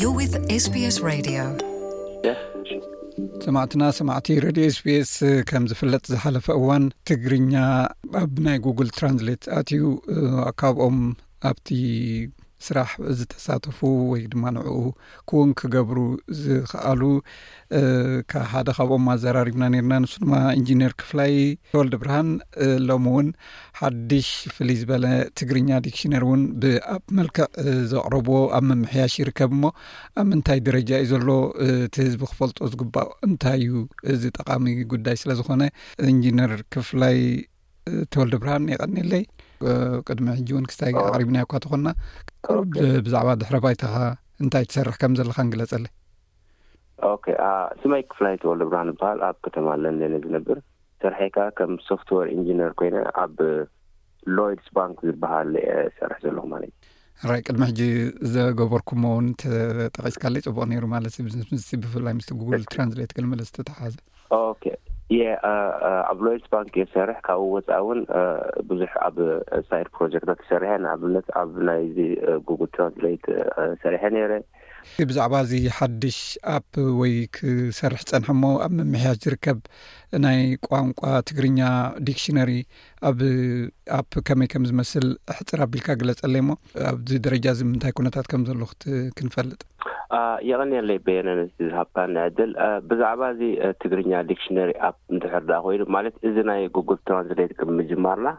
You're with S B S Radio. ሰማዕትና ሰማዕቲ ሬድዮ ኤስቢኤስ፣ ከም ዝፍለጥ ዝሓለፈ እዋን ትግርኛ ኣብ ናይ ጉግል ትራንስሌት ኣትዩ፣ እ፣ ካብኦም ኣብቲ ስራሕ ዝተሳተፉ ወይ ድማ ንዕኡ ክውን ክገብሩ ዝኽኣሉ፣ እ፣ ከ-፣ ሓደ ካብኦም ኣዘራሪብና ነርና። ንሱ ድማ ኢንጂነር ክፍላይ ተወልደ ብርሃን፣ እ፣ ሎሚ እውን ሓድሽ ፍልይ ዝበለ ትግርኛ ዲክሽነሪ እውን ብኣፕ መልክዕ፣ እ፣ ዘቕረብዎ ኣብ ምምሕያሽ ይርከብ እሞ፣ ኣብ ምንታይ ደረጃ እዩ ዘሎ፣ እ፣ እቲ ህዝቢ ክፈልጦ ዝግባእ እንታይ እዩ? እዚ ጠቓሚ ጉዳይ ስለ ዝኾነ፣ ኢንጂነር ክፍላይ፣ እ፣ ተወልደ ብርሃን የቐንየለይ። እ፣ ቅድሚ ሕጂ እውን ክስታይ ኣዎ። ኣቕሪብናዮ እኳ ተኾንና፣ ቁሩብ ኦኬ። ብ-፣ ብዛዕባ ድሕረ ባይታኻ እንታይ ትሰርሕ ከም ዘለኻ ንግለጸለይ። ኦኬ፣ ኣ፣ ስመይ ክፍላይ ተወልደ ብርሃን ይበሃል። ኣብ ከተማ ለንደን እየ ዝነብር። ስርሐይ ከኣ ከም ሶፍትዌር ኢንጂነር ኮይነ ኣብ ሎይድስ ባንክ ዝበሃል እየ ዝሰርሕ ዘለኹ ማለት እዩ። ሕራይ፣ ቅድሚ ሕጂ ዘገበርኩሞ እውን ተጠቒስካለይ ጽቡቕ ነይሩ ማለት እዩ። ምስ፣ ምስ፣ ብፍላይ ምስቲ ጉግል ትራንስሌት ገለ መለ ዝተተሓሓዘ። ኦኬ። የ፣ ኣ፣ ኣ፣ ኣብ ሎይድስ ባንክ እየ ዝሰርሕ። ካብኡ ወጻኢ እውን፣ ኣ፣ ብዙሕ ኣብ ሳይድ ፕሮጀክታት ተሰሪሐ። ንኣብነት ኣብ ናይዚ፣ ኣ፣ ጉግል ትራንስሌት፣ ኣ፣ ሰሪሐ ነይረ። ብዛዕባ እዚ ሓድሽ ኣፕ ወይ ክሰርሕ ጸንሐ እሞ ኣብ ምምሕያሽ ዝርከብ ናይ ቋንቋ ትግርኛ ዲክሽነሪ ኣብ ኣፕ ከመይ ከም ዝመስል ሕጽር ኣቢልካ ግለጸለይ እሞ፣ ኣብዚ ደረጃ እዚ ምንታይ ኩነታት ከም ዘሎ ክት-፣ ክንፈልጥ። ኣ፣ የቐንየለይ በየነ ነቲ ዝሃብካኒ ዕድል። ኣ፣ ብዛዕባ እዚ፣ ኣ፣ ትግርኛ ዲክሽነሪ ኣፕ እንድሕር ደኣ ኮይኑ፣ ማለት እዚ ናይ ጉግል ትራንስሌት ቅድሚ ምጅማርና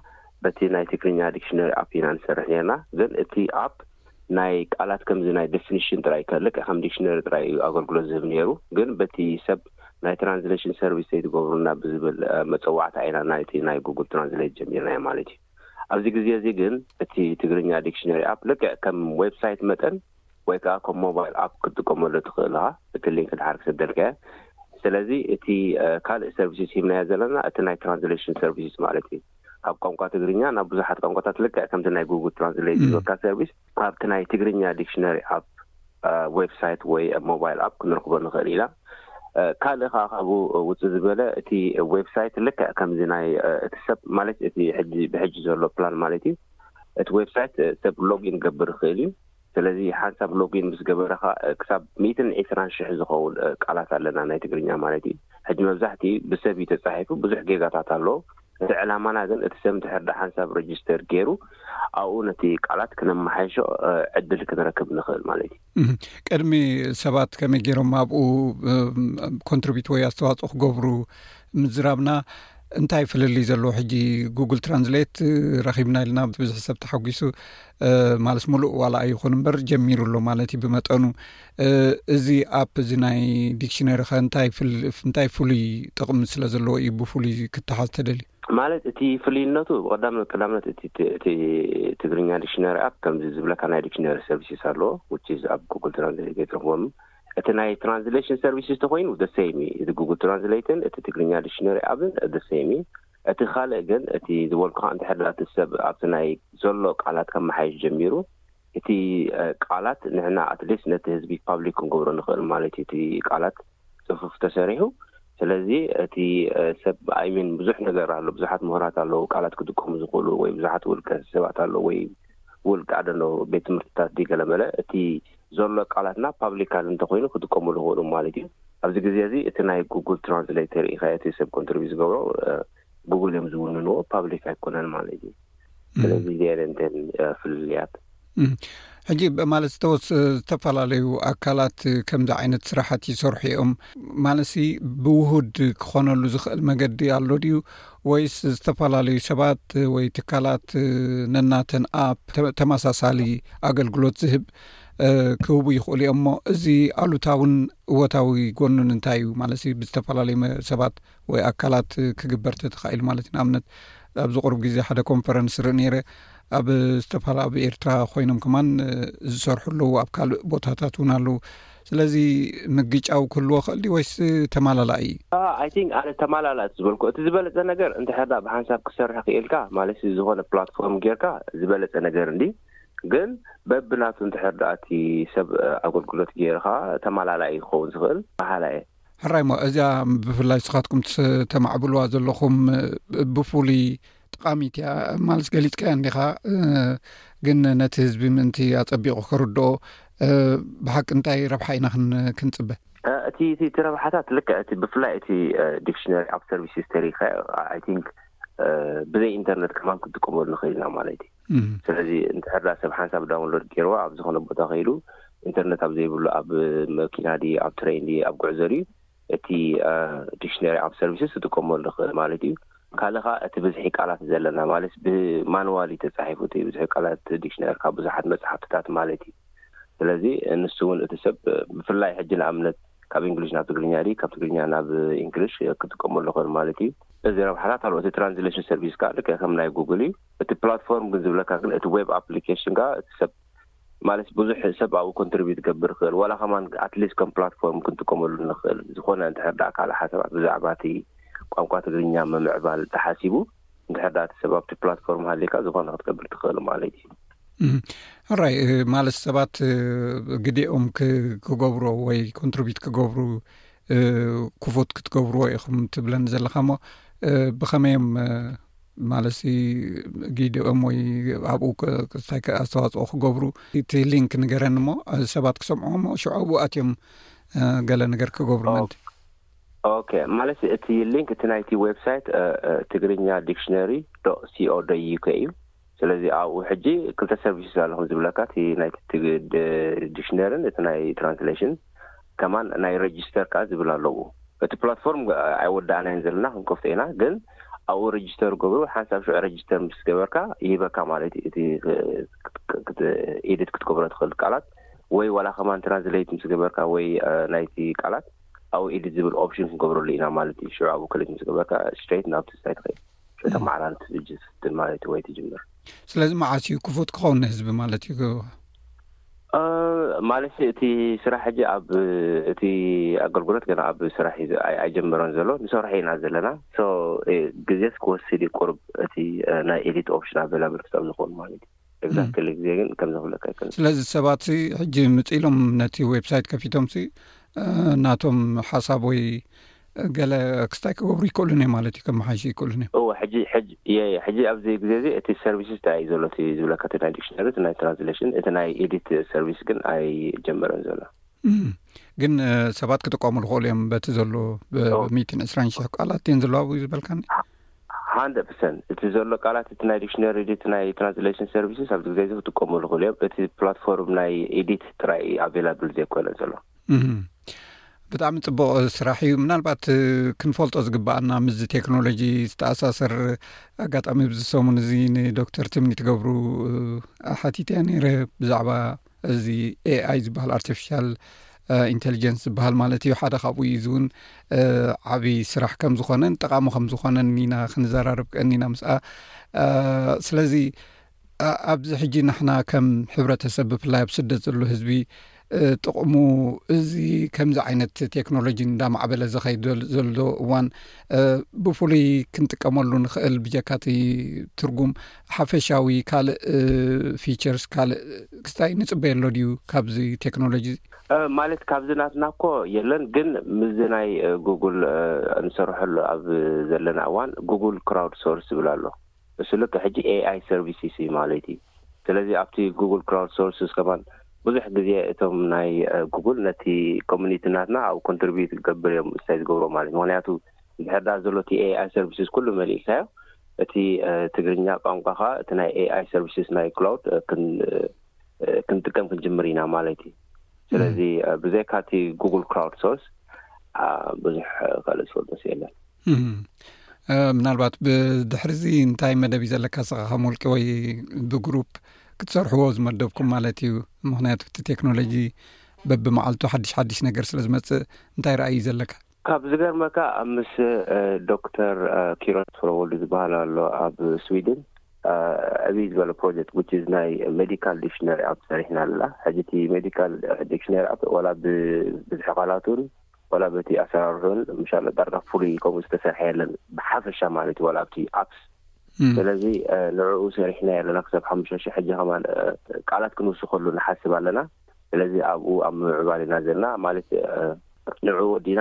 በቲ ናይ ትግርኛ ዲክሽነሪ ኣፕ ኢና ንሰርሕ ነርና። ግን እቲ ኣፕ ናይ ቃላት ከምዚ ናይ ዴፊኒሽን ጥራይ ከ-፣ ልክዕ ከም ዲክሽነሪ ጥራይ እዩ ኣገልግሎት ዝህብ ነይሩ። ግን በቲ ሰብ ናይ ትራንስሌሽን ሰርቪስ ዘይትገብሩና ብዝብል፣ እ፣ መጸዋዕታ ኢና ናይቲ ናይ ጉግል ትራንስሌት ጀሚርናዮ ማለት እዩ። ኣብዚ ግዜ እዚ ግን እቲ ትግርኛ ዲክሽነሪ ኣፕ ልክዕ ከም ዌብሳይት መጠን ወይ ከኣ ከም ሞባይል ኣፕ ክትጥቀመሉ ትኽእል ኢኻ፣ እቲ ሊንክ ድሓር ክሰደልካ እየ። ስለዚ እቲ፣ እ፣ ካልእ ሰርቪስስ ሂብናዮ ዘለና እቲ ናይ ትራንስሌሽን ሰርቪስስ ማለት እዩ። ካብ ቋንቋ ትግርኛ ናብ ብዙሓት ቋንቋታት ልክዕ ከምቲ ናይ ጉግል ትራንስሌት ም። ዝበካ ሰርቪስ ኣብቲ ናይ ትግርኛ ዲክሽነሪ ኣፕ፣ እ፣ ዌብሳይት ወይ ሞባይል ኣፕ ክንረኽቦ ንኽእል ኢና። እ፣ ካልእ ከኣ ካብኡ ውፅእ ዝበለ እቲ ዌብሳይት ልክዕ ከምዚ ናይ፣ እ፣ እቲ ሰብ ማለት እቲ ሕጂ ብሕጂ ዘሎ ፕላን ማለት እዩ። እቲ ዌብሳይት፣ እ፣ ሰብ ሎጊን ገብር ይኽእል እዩ። ስለዚ ሓንሳብ ሎጊን ምስ ገበረ ከኣ፣ እ፣ ክሳብ ሚእትን ዕስራን ሽሕ ዝኸውን፣ እ፣ ቃላት ኣለና ናይ ትግርኛ ማለት እዩ። ሕጂ መብዛሕትኡ ብሰብ እዩ ተጻሒፉ፣ ብዙሕ ጌጋታት ኣለዎ። እቲ ዕላማና ግን እቲ ሰብ እንድሕር ደኣ ሓንሳብ ረጅስተር ገይሩ፣ ኣብኡ ነቲ ቃላት ክነመሓይሾ፣ እ፣ ዕድል ክንረክብ ንኽእል ማለት እዩ። እህ፣ ቅድሚ ሰባት ከመይ ገይሮም ኣብኡ፣ እ፣ ኮንትሪቢዩት ወይ ኣስተዋጽኦ ክገብሩ ምዝራብና፣ እንታይ ፍልልይ ዘለዎ? ሕጂ ጉግል ትራንስሌት ረኺብና ኢልና ብዙሕ ሰብ ተሓጒሱ፣ እ፣ ማለት ምሉእ ዋላ ኣይኹን እምበር ጀሚሩ ኣሎ ማለት እዩ ብመጠኑ። እ፣ እዚ ኣፕ እዚ ናይ ዲክሽነሪ ኸ እንታይ ፍል-፣ እንታይ ፍሉይ ጥቕሚ ስለ ዘለዎ እዩ ብፍሉይ ክተሓዝ ተደልዩ? ማለት እቲ ፍልይነቱ ብቐዳም-፣ ቀዳምነት እቲ ት-፣ እቲ ትግርኛ ዲክሽነሪ ኣፕ ከምዚ ዝብለካ ናይ ዲክሽነሪ ሰርቪስስ ኣለዎ፣ which is ኣብ ጉግል ትራንስሌት ዘይትረኽቦም። እቲ ናይ ትራንስሌሽን ሰርቪስስ ተኾይኑ the same እዩ። እቲ ጉግል ትራንስሌትን እቲ ትግርኛ ዲክሽነሪ ኣፕን the same እዩ። እቲ ካልእ ግን እቲ ዝበልኩኻ እንድሕር ደኣ እቲ ሰብ ኣብቲ ናይ ዘሎ ቃላት ከመሓይሽ ጀሚሩ፣ እቲ፣ እ፣ ቃላት ንሕና ኣትሊስት ነቲ ህዝቢ ፓብሊክ ክንገብሮ ንኽእል ማለት እዩ። እቲ ቃላት ጽፉፍ ተሰሪሑ። ስለዚ እቲ፣ እ፣ ሰብ፣ I mean፣ ብዙሕ ነገር ኣሎ፣ ብዙሓት ምሁራት ኣለዉ፣ ቃላት ክጥቀሙ ዝኽእሉ ወይ ብዙሓት ውልቀ ሰባት ኣለዉ ወይ ውልቀ፣ I don't know፣ ቤት ትምህርትታት ድዩ ገለመለ፣ እቲ ዘሎ ቃላትና ፓብሊካሊ እንተኾይኑ ክጥቀሙ ዝኽእሉ ማለት እዩ። ኣብዚ ግዜ እዚ እቲ ናይ ጉግል ትራንስሌተር ኢኻ እቲ ሰብ ኮንትሪቢዩት ዝገብሮ፣ እ፣ ጉግል እዮም ዝውንንዎ፣ ፓብሊክ ኣይኮነን ማለት እዩ። እም። ስለዚ እዚኣን እንተን፣ እ፣ ፍልልያት። እም። ሕጂ ብ-፣ ማለት ዝተወስ-፣ ዝተፈላለዩ ኣካላት ከምዚ ዓይነት ስራሓት ይሰርሑ እዮም። ማለትሲ ብውሁድ ክኾነሉ ዝኽእል መገዲ ኣሎ ድዩ? ወይስ ዝተፈላለዩ ሰባት ወይ ትካላት ነናተን ኣፕ ተ-፣ ተመሳሳሊ ኣገልግሎት ዝህብ፣ እ፣ ክህቡ ይኽእሉ እዮም እሞ፣ እዚ ኣሉታውን እወታዊ ጎኑን እንታይ እዩ? ማለትሲ ብዝተፈላለዩ መ-፣ ሰባት ወይ ኣካላት ክግበር ተተኻኢሉ ማለት እዩ። ንኣብነት ኣብዚ ቁሩብ ግዜ ሓደ ኮንፈረንስ ርኢ ነይረ። ኣብ ዝተፋላ-፣ ኣብ ኤርትራ ኮይኖም ከማን፣ እ፣ ዝሰርሑ ኣለዉ፣ ኣብ ካልእ ቦታታት እውን ኣለዉ። ስለዚ ምግጫው ክህልዎ ክእል ድዩ ወይስ ተማላላኢ? አ፣ I think ኣነ ተማላላእ ዝበልኩ፣ እቲ ዝበለጸ ነገር እንድሕር ደኣ ብሓንሳብ ክሰርሕ ክኢልካ፣ ማለት ዝኾነ ፕላትፎርም ጌርካ ዝበለጸ ነገር እንዲ። ግን በብናቱ እንድሕር ደኣ እቲ ሰብ፣ እ፣ ኣገልግሎት ጌርካ ተማላላኢ ክኸውን ዝኽእል በሃላይ እየ። ሕራይ እሞ፣ እዚኣ ብፍላይ ንስኻትኩም ትስ-፣ ተማዕብልዋ ዘለኹም፣ እ፣ ብፍሉይ ጠቓሚት እያ ማለት ገሊጽካያ እንዲኻ፣ እ፣ ግን ነቲ ህዝቢ ምእንቲ ኣጸቢቑ ክርድኦ፣ ብሓቂ እንታይ ረብሓ ኢና ክንጽበ? እቲ እቲ ረብሓታት ልክዕ እቲ ብፍላይ እቲ ዲክሽነሪ ኣብ ሰርቪስ ሂስተሪ፣ ኣይ ቲንክ፣ ብዘይ ኢንተርነት ከማን ክንጥቀመሉ ንኽእል ኢና ማለት እዩ። ስለዚ እንድሕር ዳ ሰብ ሓንሳብ ዳውንሎድ ገይርዋ ኣብ ዝኾነ ቦታ ከይዱ፣ ኢንተርነት ኣብ ዘይብሉ፣ ኣብ መኪና ድዩ፣ ኣብ ትሬን ድዩ፣ ኣብ ጉዕዞ ድዩ፣ እቲ ዲክሽነሪ ኣብ ሰርቪስስ ክጥቀመሉ ንኽእል ማለት እዩ። ካልእ ኸዓ እቲ ብዝሒ ቃላት ዘለና ማለት ብማንዋል እዩ ተጻሒፉ፣ እቲ ብዝሒ ቃላት ዲክሽነሪ ካብ ብዙሓት መጽሓፍትታት ማለት እዩ። ስለዚ ንሱ እውን እቲ ሰብ ብፍላይ ሕጂ ንኣብነት ካብ እንግሊሽ ናብ ትግርኛ ድዩ፣ ካብ ትግርኛ ናብ እንግሊሽ ክጥቀመሉ ይኽእል ማለት እዩ። እዚ ረብሓታት ኣሎ። እቲ ትራንስሌሽን ሰርቪስ ከዓ ልክዕ ከም ናይ ጉግል እዩ። እቲ ፕላትፎርም ግን ዝብለካ ግን እቲ ዌብ ኣፕሊኬሽን ከዓ እቲ ሰብ ማለት ብዙሕ ሰብ ኣብኡ ኮንትሪቢዩት ክገብር ይኽእል፣ ዋላ ከማን ኣትሊስት ከም ፕላትፎርም ክንጥቀመሉ ንኽእል። ዝኾነ እንድሕር ደኣ ካልእ ሓሳባት ብዛዕባ እቲ ቋንቋ ትግርኛ ምምዕባል ተሓሲቡ እንድሕር ደኣ እቲ ሰብ ኣብቲ ፕላትፎርም ሃሊካ ዝኾነ ክትገብር ትኽእል ማለት እዩ። ሕራይ ማለት ሰባት ግዲኦም ክገብሮ ወይ ኮንትሪቢዩት ክገብሩ ክፉት ክትገብርዎ ኢኹም ትብለኒ ዘለኻ እሞ ብኸመዮም ማለት ግዲኦም ወይ ኣብኡ እንታይ ኣስተዋፅኦ ክገብሩ? እቲ ሊንክ ንገረኒ እሞ ሰባት ክሰምዑ እሞ ሽዑ ኣብኡ ኣትዮም ገለ ነገር ክገብሩ ምእንቲ። ኦኬ፣ ማለት እቲ ሊንክ እቲ ናይቲ ዌብሳይት ትግርኛ ዲክሽነሪ ዶ ሲኦ ዶ ዩኬ እዩ። ስለዚ ኣብኡ ሕጂ ክልተ ሰርቪስስ ኣለኹም ዝብለካ፣ እቲ ናይ ዲክሽነርን እቲ ናይ ትራንስሌሽን ከማን ናይ ሬጅስተር ከዓ ዝብል ኣለዎ። እቲ ፕላትፎርም ኣይወዳእናይን ዘለና፣ ክንከፍቶ ኢና። ግን ኣብኡ ሬጅስተር ገብሩ። ሓንሳብ ሽዑ ሬጅስተር ምስ ገበርካ ይህበካ ማለት እዩ። እቲ ኤዲት ክትገብሮ ትኽእል ቃላት ወይ ዋላ ከማን ትራንስሌት ምስ ገበርካ ወይ ናይቲ ቃላት ኣብኡ ኤዲት ዝብል ኦፕሽን ክንገብረሉ ኢና ማለት እዩ። ሽዑ ኣብኡ ክሊክ ምስ ገበርካ ስትሬት ናብቲ ሳይት ኸይድ ተመዓራሪ ትፍጅ ስትል ማለት ወይ ትጅምር። ስለዚ መዓስ እዩ ክፉት ክኸውን ንህዝቢ ማለት እዩ? ማለት እቲ ስራሕ ሕጂ ኣብ እቲ ኣገልግሎት ገና ኣብ ስራሕ እዩ ኣይጀመረን ዘሎ፣ ንሰርሖ ኢና ዘለና። ግዜስ ክወስድ እዩ ቁርብ እቲ ናይ ኤዲት ኦፕሽን ኣቬላብል ክሳብ ዝኸውን ማለት እዩ። ኤግዛክትሊ ግዜ ግን ከም ዘፍለካ ኣይክእልን። ስለዚ ሰባት ሕጂ ምጽኢሎም ነቲ ዌብሳይት ከፊቶም ናቶም ሓሳብ ወይ ገለ ክስታይ ክገብሩ ይክእሉን እዮም ማለት እዩ፣ ከመሓይሹ ይክእሉን እዮም። እወ፣ ሕጂ ሕጂ እየ እየ። ሕጂ ኣብዚ ግዜ እዚ እቲ ሰርቪስስ እንታይ እዩ ዘሎ? እቲ ዝብለካ እቲ ናይ ዲክሽነሪ፣ እቲ ናይ ትራንስሌሽን፣ እቲ ናይ ኤዲት ሰርቪስ ግን ኣይጀመረን ዘሎ። እም፣ ግን እ፣ ሰባት ክጥቀሙ ዝኽእሉ እዮም በቲ ዘሎ ብ- ኦ። ሚእትን ዕስራን ሽሕ ቃላት እየን ዘለዋ ኣብኡ ዝበልካኒ። ሃንድረድ ፐርሰንት እቲ ዘሎ ቃላት እቲ ናይ ዲክሽነሪ ድዩ እቲ ናይ ትራንስሌሽን ሰርቪስስ ኣብዚ ግዜ እዚ ክጥቀሙ ዝኽእሉ እዮም። እቲ ፕላትፎርም ናይ ኤዲት ጥራይ ኣቬላብል ዘይኮነ ዘሎ። እም። ብጣዕሚ ጽቡቕ ስራሕ እዩ። ምናልባት ክንፈልጦ ዝግባኣና ምስዚ ቴክኖሎጂ ዝተኣሳሰር ኣጋጣሚ፣ ብዚ ሰሙን እዚ ንዶክተር ትምኒ ትገብሩ ሓቲተያ ነይረ ብዛዕባ እዚ ኤኣይ ዝበሃል፣ ኣርቲፊሻል ኢንቴሊጀንስ ዝበሃል ማለት እዩ። ሓደ ካብኡ እዩ። እዚ እውን ዓብዪ ስራሕ ከም ዝኾነን ጠቓሚ ከም ዝኾነን ኢና ክንዘራረብ ቀኒና ምስኣ። ስለዚ ኣብዚ ሕጂ ንሕና ከም ሕብረተሰብ ብፍላይ ኣብ ስደት ዘሎ ህዝቢ ጥቕሙ እዚ ከምዚ ዓይነት ቴክኖሎጂ እንዳማዕበለ ዝኸይድ ዘሎ እዋን ብፍሉይ ክንጥቀመሉ ንኽእል ብጀካቲ ትርጉም ሓፈሻዊ ካልእ ፊቸርስ ካልእ ክስታይ ንፅበየሎ ድዩ ካብዚ ቴክኖሎጂ? ማለት ካብዚ ናትና እኮ የለን፣ ግን ምስዚ ናይ ጉግል ንሰርሐሉ ኣብ ዘለና እዋን ጉግል ክራውድ ሶርስ ዝብል ኣሎ። እሱ ልክ ሕጂ ኤኣይ ሰርቪስስ እዩ ማለት እዩ። ስለዚ ኣብቲ ጉግል ክራውድ ሶርስ ከማን ብዙሕ ግዜ እቶም ናይ ጉግል ነቲ ኮሚኒቲ ናትና ኣብ ኮንትሪቢዩት ክገብር እዮም እንታይ ዝገብሮ ማለት እዩ። ምክንያቱ እንድሕር ዳ ዘሎ እቲ ኤኣይ ሰርቪስስ ኩሉ መሊእካዮ፣ እቲ ትግርኛ ቋንቋ ከዓ እቲ ናይ ኤኣይ ሰርቪስስ ናይ ክላውድ ክንጥቀም ክንጅምር ኢና ማለት እዩ። ስለዚ ብዘይካ እቲ ጉግል ክራውድ ሶርስ ብዙሕ ካልእ ዝፈልጦ የለን። ምናልባት ብድሕሪ እዚ እንታይ መደብ እዩ ዘለካ ስኻ ከም ውልቂ ወይ ብግሩፕ ክትሰርሕዎ ዝመደብኩም ማለት እዩ? ምክንያቱ እቲ ቴክኖሎጂ በብመዓልቱ ሓድሽ ሓድሽ ነገር ስለ ዝመፅእ እንታይ ረኣይ እዩ ዘለካ? ካብ ዝገርመካ ኣብ ምስ ዶክተር ኪሮስ ፍረወልዱ ዝበሃል ኣሎ ኣብ ስዊድን ዕብይ ዝበለ ፕሮጀክት which is ናይ ሜዲካል ዲክሽነሪ ኣብ ሰሪሕና ኣለና። ሕጂ እቲ ሜዲካል ዲክሽነሪ ኣብ ዋላ ብብዝሒ ቃላቱን ዋላ በቲ ኣሰራርሑን ምሻሎ ዳርጋ ፍሉይ ከምኡ ዝተሰርሐ የለን ብሓፈሻ ማለት እዩ ዋላ ኣብቲ ኣፕስ። ስለዚ ንዕኡ ሰሪሕና ኣለና ክሳብ ሓሙሽተ ሽሕ ሕጂ ከማን ቃላት ክንውስኸሉ ንሓስብ ኣለና። ስለዚ ኣብኡ ኣብ ምምዕባል ኢና ዘለና ማለት ንዕኡ ወዲና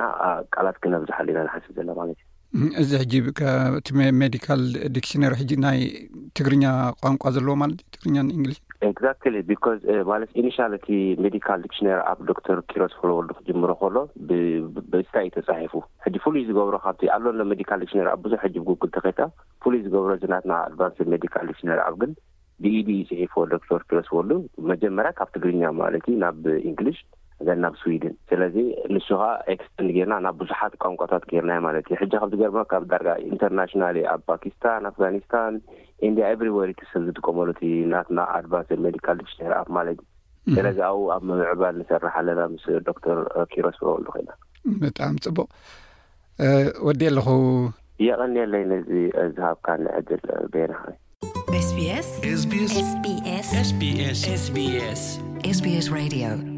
ቃላት ክነብዝሓሉ ኢና ንሓስብ ዘለና ማለት እዩ። እዚ ሕጂ እቲ ሜዲካል ዲክሽነሪ ሕጂ ናይ ትግርኛ ቋንቋ ዘለዎ ማለት እዩ፣ ትግርኛን እንግሊሽ? Exactly, because ማለት initial እቲ medical dictionary app ዶክተር ኪሮስ ፍረወልዱ ክጅምሮ ከሎ ብስታይ እዩ ተፃሒፉ። ሕጂ ፍሉይ ዝገብሮ ካብቲ ኣሎ ሎ medical dictionary app ብዙሕ ሕጂ ብጉግል ተኸይድካ ፍሉይ ዝገብሮ ዝናትና advanced medical dictionary app ግን ብኢዱ እዩ ፅሒፍዎ ዶክተር ኪሮስ ወልዱ። መጀመርያ ካብ ትግርኛ ማለት እዩ ናብ እንግሊሽ ዘን ናብ ስዊድን። ስለዚ ንሱ ከዓ ኤክስተንድ ጌርና ናብ ብዙሓት ቋንቋታት ጌርናዮ ማለት እዩ። ሕጂ ካብ ዝገርመካ ካብ ዳርጋ ኢንተርናሽናል ኣብ ፓኪስታን፣ ኣፍጋኒስታን፣ ኢንዲያ፣ everywhere እቲ ሰብ ዝጥቀመሉ እቲ ናትና advanced medical dictionary app ማለት እዩ። ስለዚ ኣብኡ ኣብ ምምዕባል ንሰርሕ ኣለና ምስ ዶክተር ኪሮስ ፍረወልዱ ኮይና። ብጣዕሚ ፅቡቕ። ወዲ ኣለኹ። የቐንየለይ ነዚ ዝሃብካኒ ዕድል ቤና። SBS SBS SBS SBS SBS Radio